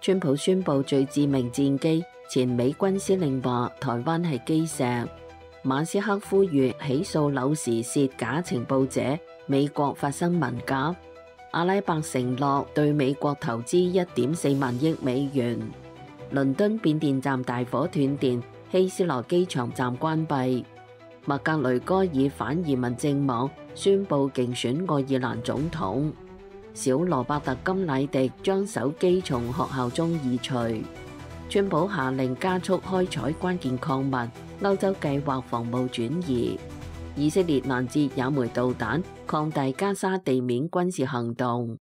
川普宣布最致命戰機，前美軍司令話台灣係基石。馬斯克呼籲起訴紐時竊假情報者，美國發生文革。阿拉伯承諾對美國投資1.4萬億美元。倫敦變電站大火斷電，希斯羅機場站關閉。麥格雷戈爾反移民政網宣布競選愛爾蘭總統。小羅伯特金乃迪將手機從學校中移除。川普下令加速開採關鍵礦物，歐洲計劃防務轉移。以色列攔截也門導彈，擴大加沙地面軍事行動。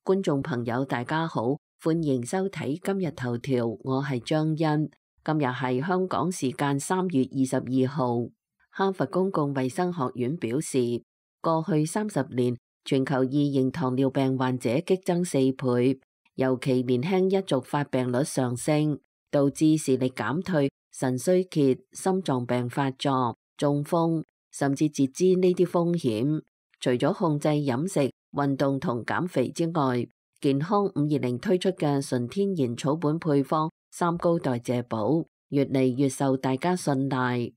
觀眾朋友大家好，歡迎收睇今日頭條，我係張欣。今日係香港時間3月22號。哈佛公共衛生學院表示，過去30年全球2型糖尿病患者激增4倍，尤其年輕一族發病率上升，導致視力減退、腎衰竭、心臟病發作、中風，甚至截肢呢啲風險。除咗控制飲食、運動同減肥之外，健康520推出嘅純天然草本配方三高代謝寶，越嚟越受大家信賴。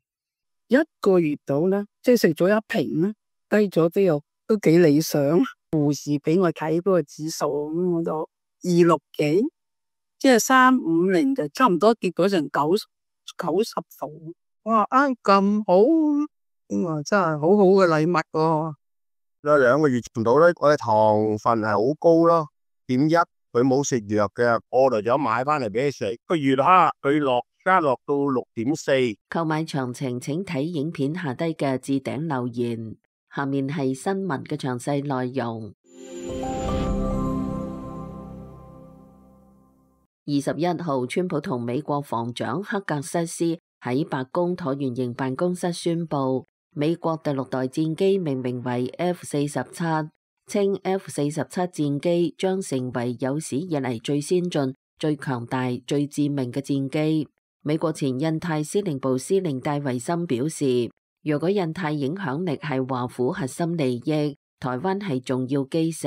1個月到啦，即係食咗1瓶啦，低咗都幾理想。護士俾我睇嗰個指數，咁我都26幾，即係350就差唔多跌咗成90度。哇，咁好，咁真係好好嘅禮物喎。2個月唔到咧，我嘅糖分係好高咯，0.1，佢冇食藥嘅，我嚟咗買翻嚟俾佢食。個月蝦佢加落到6.4。購買詳情請睇影片下低嘅置頂留言。下面係新聞嘅詳細內容。21號，川普同美國防長克格瑟斯喺白宮橢圓形辦公室宣布，美國第6代戰機命名為 F-47， 稱 F-47 戰機將成為有史以嚟最先進、最強大、最致命嘅戰機。美國前印太司令部司令戴維森表示，若果印太影響力係華府核心利益，台灣係重要基石。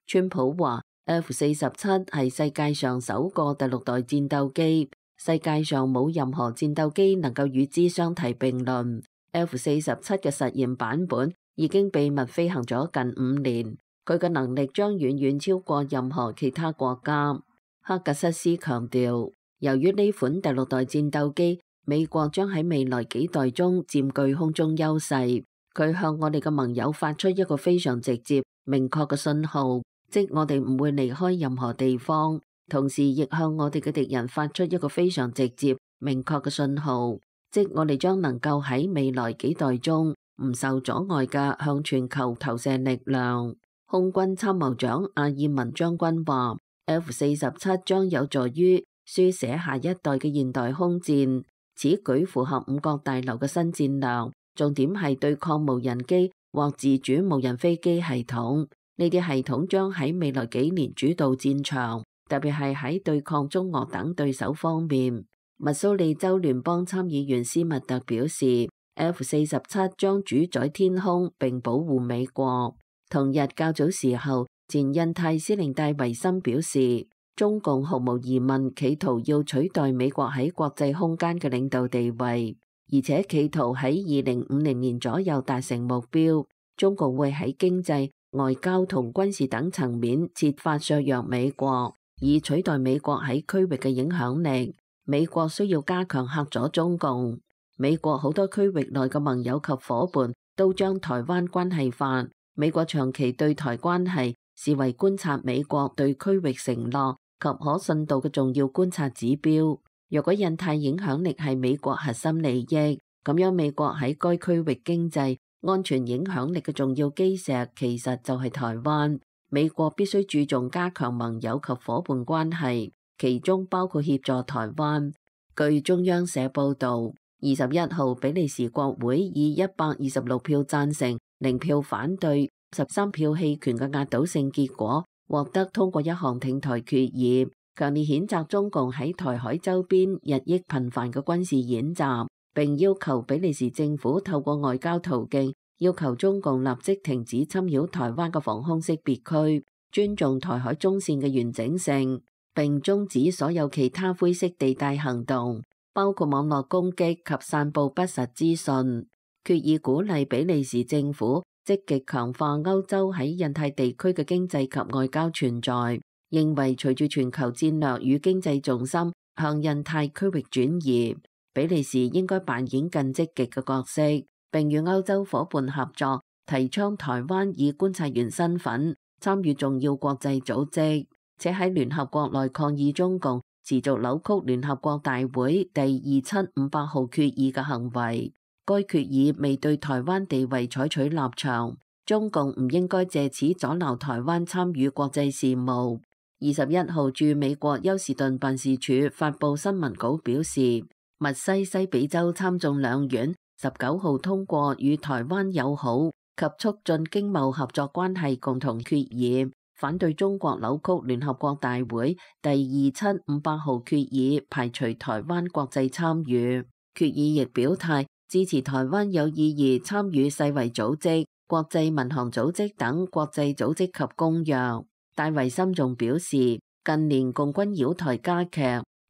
川普話 F-47 係世界上首個第6代戰鬥機，世界上冇任何戰鬥機能夠與之相提並論。F-47 嘅實驗版本已經秘密飛行咗近5年，佢嘅能力將遠遠超過任何其他國家。克格瑟斯強調，由於呢款第6代戰鬥機，美國將喺未來幾代中佔據空中優勢。佢向我哋嘅盟友發出一個非常直接、明確嘅信號，即我哋唔會離開任何地方。同時亦向我哋嘅敵人發出一個非常直接、明確嘅信號，即我哋將能夠喺未來幾代中唔受阻礙嘅向全球投射力量。空軍參謀長阿爾文將軍話，F-47 將有助於書寫下一代嘅現代空戰，此舉符合5角大樓嘅新戰略，重點係對抗無人機或自主無人飛機系統。呢啲系統將喺未來幾年主導戰場，特別係喺對抗中俄等對手方面。密蘇里州聯邦參議員斯密特表示，F-47 將主宰天空並保護美國。同日較早時候，前印太司令戴維森表示，中共毫無疑問企圖要取代美國喺國際空間嘅領導地位，而且企圖喺2050年左右達成目標。中共會喺經濟、外交同軍事等層面設法削弱美國，以取代美國喺區域嘅影響力。美國需要加強嚇阻中共。美國好多區域內嘅盟友及伙伴都將台灣關係化。美國長期對台關係視為觀察美國對區域承諾及可信度嘅重要觀察指標。若果印太影響力係美國核心利益，咁樣美國喺該區域經濟安全影響力嘅重要基石其實就係台灣。美國必須注重加強盟友及伙伴關係，其中包括協助台灣。據中央社報導，21號比利時國會以126票贊成、0票反對、13票棄權嘅壓倒性結果，獲得通過一項挺台決議，強烈譴責中共喺台海周邊日益頻繁嘅軍事演習，並要求比利時政府透過外交途徑要求中共立即停止侵擾台灣嘅防空識別區，尊重台海中線嘅完整性，並終止所有其他灰色地帶行動，包括網絡攻擊及散佈不實資訊。決議鼓勵比利時政府積極強化歐洲喺印太地區嘅經濟及外交存在，認為隨住全球戰略與經濟重心向印太區域轉移，比利時應該扮演更積極嘅角色，並與歐洲夥伴合作，提倡台灣以觀察員身份參與重要國際組織，且喺聯合國內抗議中共持續扭曲聯合國大會第2758號決議嘅行為。該決議未對台灣地位採取立場，中共唔應該借此阻撓台灣參與國際事務。21號駐美國休士頓辦事處發布新聞稿表示，密西西比州參眾兩院19號通過與台灣友好及促進經貿合作關係共同決議，反對中國扭曲聯合國大會第2758號決議，排除台灣國際參與。決議亦表態支持台灣有意義參與世衛組織、國際民航組織等國際組織及公約。戴維森仲表示，近年共軍擾台加劇，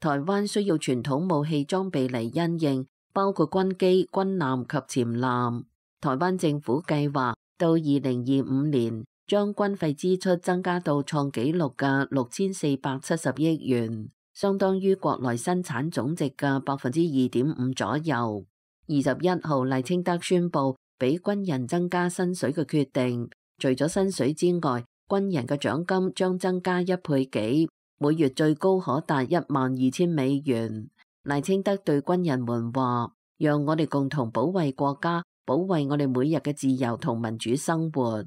台灣需要傳統武器裝備嚟因應，包括軍機、軍艦及潛艦。台灣政府計劃到2025年將軍費支出增加到創紀錄嘅6470億元，相當於國內生產總值嘅2.5%左右。21號賴清德宣布俾軍人增加薪水嘅決定，除咗薪水之外，軍人嘅獎金將增加1倍幾，每月最高可達12000美元。賴清德對軍人們話：讓我哋共同保衛國家，保衛我哋每日嘅自由同民主生活。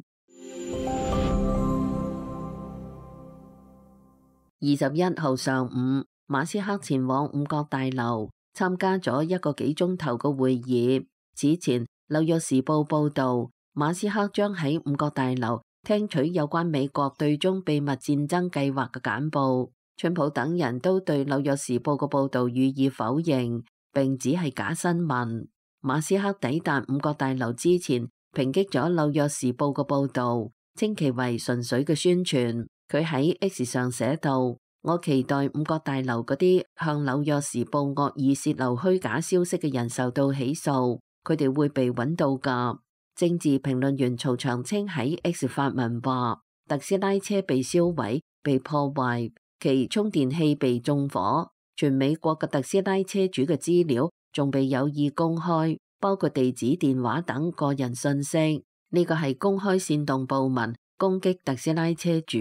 21號上午，馬斯克前往五角大樓參加咗1個幾鐘頭嘅會議。此前，紐約時報報道，馬斯克將喺五角大樓聽取有關美國對中秘密戰爭計劃嘅簡報。川普等人都對紐約時報嘅報道予以否認，並指係假新聞。馬斯克抵達五角大樓之前，抨擊咗紐約時報嘅報道，稱其為純粹嘅宣傳。佢喺 X 上寫道：我期待五角大樓嗰啲向紐約時報惡意洩漏虛假消息嘅人受到起訴，佢哋會被揾到㗎。政治評論員曹長青喺 X 發文話：特斯拉車被燒毀、被破壞，其充電器被縱火，全美國嘅特斯拉車主嘅資料仲被有意公開，包括地址、電話等個人信息。呢個係公開煽動暴民攻擊特斯拉車主。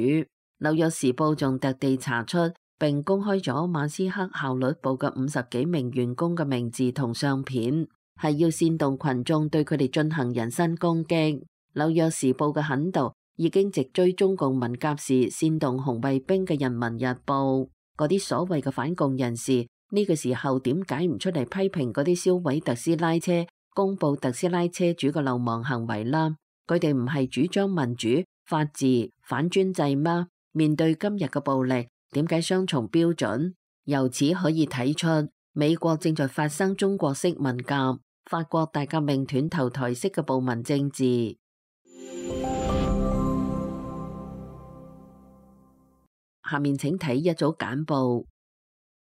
紐約時報仲特地查出並公開咗馬斯克效率部嘅50幾名員工嘅名字同相片，係要煽動群眾對佢哋進行人身攻擊。紐約時報嘅狠毒已經直追中共文革時煽動紅衛兵嘅人民日報。嗰啲所謂嘅反共人士呢個時候點解唔出嚟批評嗰啲燒毀特斯拉車、公布特斯拉車主嘅流氓行為啦？佢哋唔係主張民主、法治、反專制嗎？面對今日嘅暴力，點解雙重標準？由此可以睇出，美國正在發生中國式文革、法國大革命斷頭台式嘅暴民政治。下面請睇一組簡報。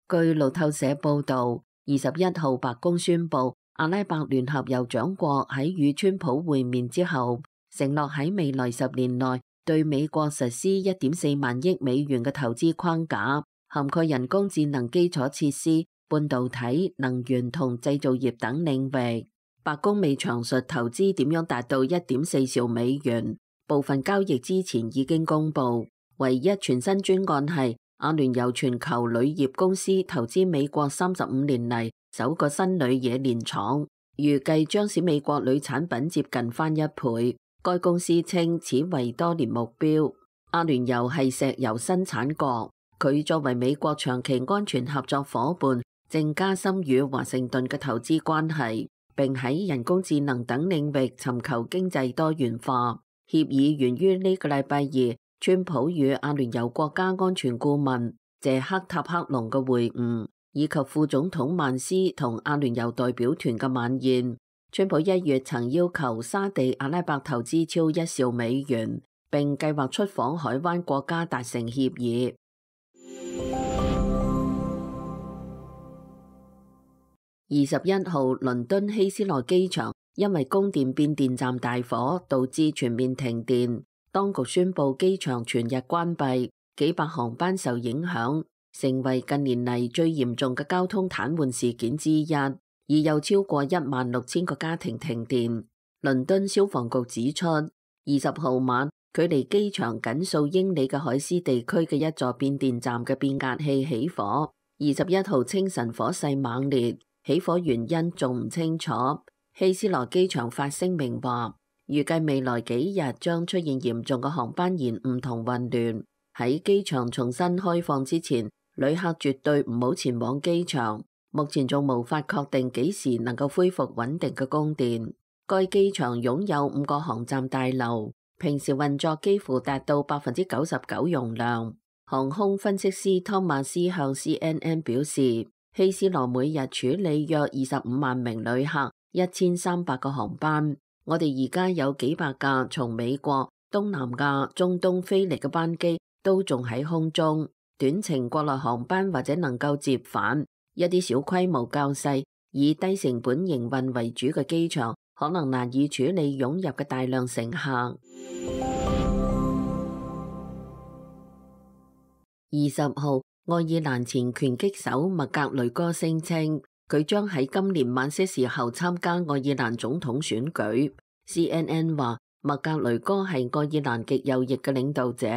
據路透社報道，21號白宮宣布，阿拉伯聯合酋長國喺與川普會面之後，承諾喺未來10年內對美國實施1.4萬億美元嘅投資框架，涵蓋人工智能基礎設施、半導體、能源同製造業等領域。白宮未詳述投資點樣達到1.4兆美元，部分交易之前已經公布。唯一全新專案係阿聯酋全球鋁業公司投資美國35年嚟首個新鋁冶煉廠，預計將使美國鋁產品接近翻1倍。該公司稱此為多年目標。阿聯酋係石油生產國，佢作為美國長期安全合作夥伴，正加深與華盛頓嘅投資關係，並喺人工智能等領域尋求經濟多元化。協議源於呢個禮拜2，川普與阿聯酋國家安全顧問謝克塔克隆嘅會晤，以及副總統曼斯同阿聯酋代表團嘅晚宴。川普1月曾要求沙地阿拉伯投資超1兆美元，並計劃出訪海灣國家達成協議。21號，倫敦希斯羅機場因為供電變電站大火，導致全面停電。當局宣布機場全日關閉，幾百航班受影響，成為近年嚟最嚴重嘅交通癱瘓事件之一。已有超過16000個家庭停電。倫敦消防局指出，20號晚，距離機場僅數英里嘅海斯地區嘅一座變電站嘅變壓器起火。21號清晨火勢猛烈，起火原因仲唔清楚。希斯羅機場發聲明話，預計未來幾日將出現嚴重嘅航班延誤同混亂。喺機場重新開放之前，旅客絕對唔好前往機場。目前仲無法確定幾時能夠恢復穩定嘅供電。該機場擁有5個航站大樓，平時運作幾乎達到99%容量。航空分析師湯馬斯向 CNN 表示，希斯羅每日處理約25萬名旅客，1300個航班。我哋而家有幾百架從美國、東南亞、中東飛嚟嘅班機都仲喺空中，短程國內航班或者能夠接返。一啲小規模較細、以低成本營運為主嘅機場，可能難以處理湧入嘅大量乘客。20號，愛爾蘭前拳擊手麥格雷戈聲稱，佢將喺今年晚些時候參加愛爾蘭總統選舉。CNN 話，麥格雷戈係愛爾蘭極右翼嘅領導者，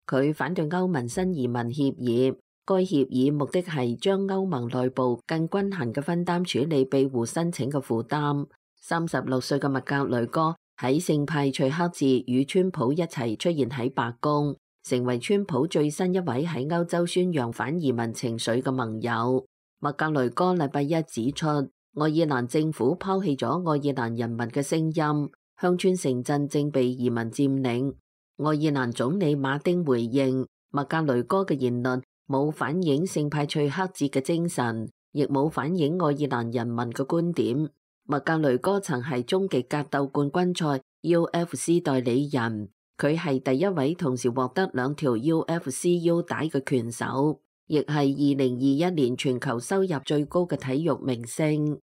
佢反對歐盟新移民協議。該協議目的係將歐盟內部更均衡嘅分擔處理庇護申請嘅負擔。36歲嘅麥格雷戈喺聖派翠克寺與川普一齊出現喺白宮，成為川普最新一位喺歐洲宣揚反移民情緒嘅盟友。麥格雷戈禮拜一指出，愛爾蘭政府拋棄咗愛爾蘭人民嘅聲音，鄉村城鎮正被移民佔領。愛爾蘭總理馬丁回應，麥格雷戈嘅言論冇反映聖派翠克節嘅精神，亦冇反映愛爾蘭人民嘅觀點。麥格雷戈曾係終極格鬥冠軍賽 UFC 代理人，佢係第一位同時獲得2條 UFC 腰帶嘅拳手，亦係2021年全球收入最高嘅體育明星。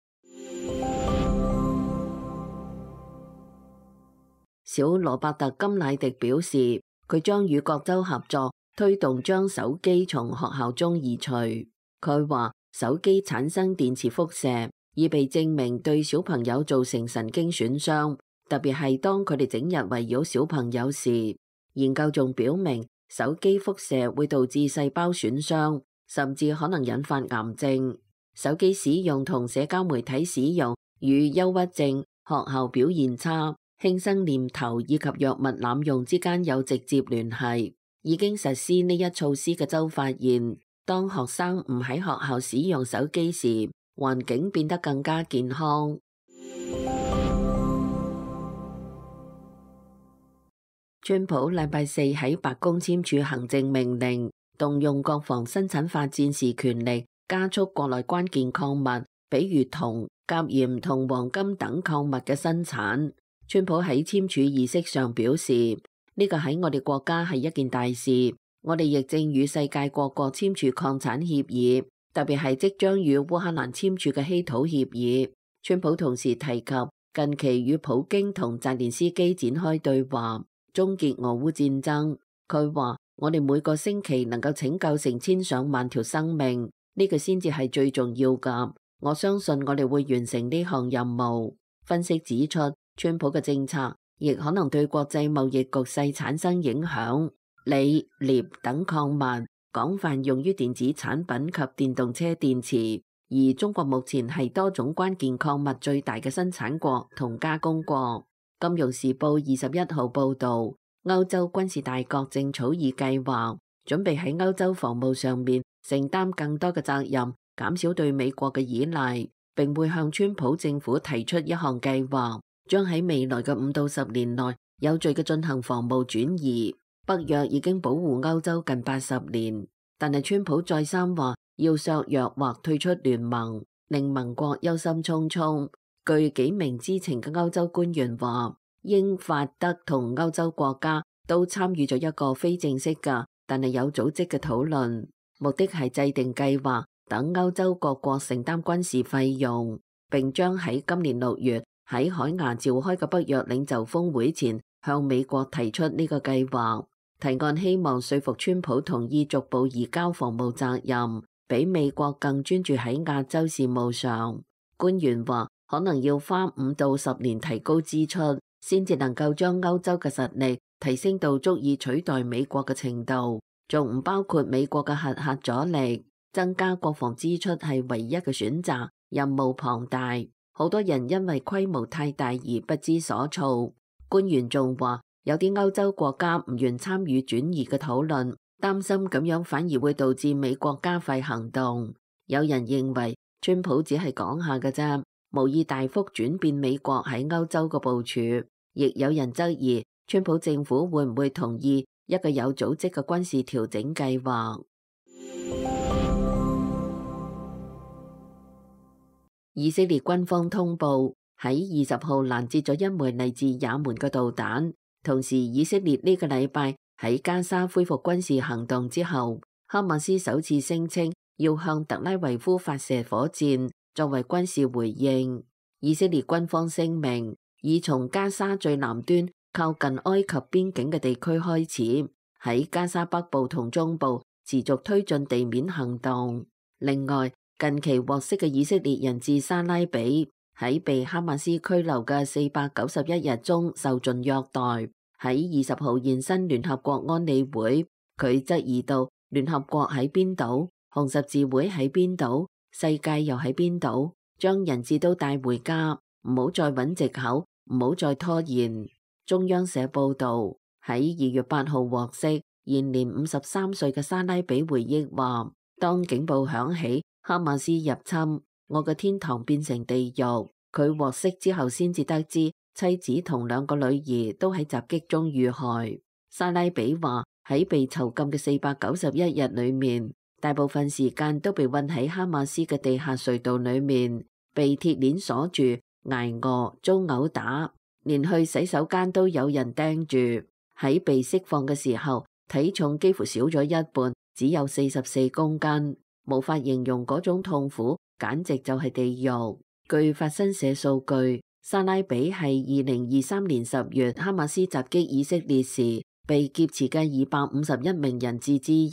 小羅伯特金乃迪表示，佢將與各州合作，推動將手機從學校中移除。佢話手機產生電磁輻射，已被證明對小朋友造成神經損傷，特別係當佢哋整日圍繞小朋友時。研究仲表明，手機輻射會導致細胞損傷，甚至可能引發癌症。手機使用同社交媒體使用與憂鬱症、學校表現差、輕生念頭以及藥物濫用之間有直接聯繫。已經實施呢一措施嘅州發現，當學生唔喺學校使用手機時，環境變得更加健康。川普禮拜四喺白宮簽署行政命令，動用國防生產法戰時權力，加速國內關鍵礦物，比如銅、鉀鹽同黃金等礦物嘅生產。川普喺簽署儀式上表示，呢個喺我哋國家係一件大事，我哋亦正與世界各國簽署礦產協議，特別係即將與烏克蘭簽署嘅稀土協議。川普同時提及近期與普京同澤連斯基展開對話，終結俄烏戰爭。佢話，我哋每個星期能夠拯救成千上萬條生命，呢個先至係最重要㗎。我相信我哋會完成呢項任務。分析指出，川普嘅政策亦可能對國際貿易局勢產生影響。鋰、鎳等礦物廣泛用於電子產品及電動車電池，而中國目前係多種關鍵礦物最大嘅生產國同加工國。金融時報21號報導，歐洲軍事大國正草擬計劃，準備喺歐洲防務上面承擔更多嘅責任，減少對美國嘅依賴，並會向川普政府提出一項計劃，將喺未來嘅5到10年內有序嘅進行防務轉移。北約已經保護歐洲近80年，但係川普再三話要削弱或退出聯盟，令盟國憂心忡忡。據幾名知情嘅歐洲官員話，英法德同歐洲國家都參與咗一個非正式嘅但係有組織嘅討論，目的係制定計劃，等歐洲各國承擔軍事費用，並將喺今年6月喺海牙召開嘅北約領袖峰會前向美國提出呢個計劃。提案希望說服川普同意逐步移交防務責任，比美國更專注喺亞洲事務上。官員話，可能要花5到10年提高支出，先至能夠將歐洲嘅實力提升到足以取代美國嘅程度，仲唔包括美國嘅核核阻力。增加國防支出係唯一嘅選擇，任務龐大，好多人因為規模太大而不知所措。官員仲話，有啲歐洲國家唔願參與轉移嘅討論，擔心咁樣反而會導致美國加快行動。有人認為川普只係講下嘅啫，無意大幅轉變美國喺歐洲嘅部署。亦有人質疑川普政府會唔會同意一個有組織嘅軍事調整計劃。以色列軍方通報喺20號攔截咗一枚嚟自也門嘅導彈。同時，以色列呢個禮拜喺加沙恢復軍事行動之後，哈馬斯首次聲稱要向特拉維夫發射火箭作為軍事回應。以色列軍方聲明，已從加沙最南端靠近埃及邊境嘅地區開始，喺加沙北部同中部持續推進地面行動。另外，近期獲釋嘅以色列人質沙拉比喺被哈馬斯拘留嘅491日中受盡虐待。喺20號現身聯合國安理會，佢質疑到聯合國喺邊度，紅十字會喺邊度，世界又喺邊度，將人質都帶回家，唔好再揾藉口，唔好再拖延。中央社報道，喺2月8號獲釋，現年53歲嘅沙拉比回憶話，當警報響起，哈馬斯入侵，我嘅天堂變成地獄。佢獲釋之後先至得知妻子同2個女兒都喺襲擊中遇害。沙拉比話，喺被囚禁嘅491日裏面，大部分時間都被困喺哈馬斯嘅地下隧道裏面，被鐵鏈鎖住，挨餓，遭毆打，連去洗手間都有人盯住。喺被釋放嘅時候，體重幾乎少咗一半，只有44公斤，無法形容嗰種痛苦，簡直就係地獄。據法新社數據，沙拉比係2023年10月哈馬斯襲擊以色列時被劫持嘅251名人質之一。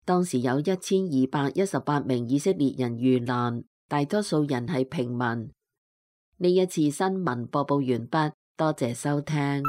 當時有1218名以色列人遇難，大多數人係平民。呢一次新聞播報完畢，多謝收聽。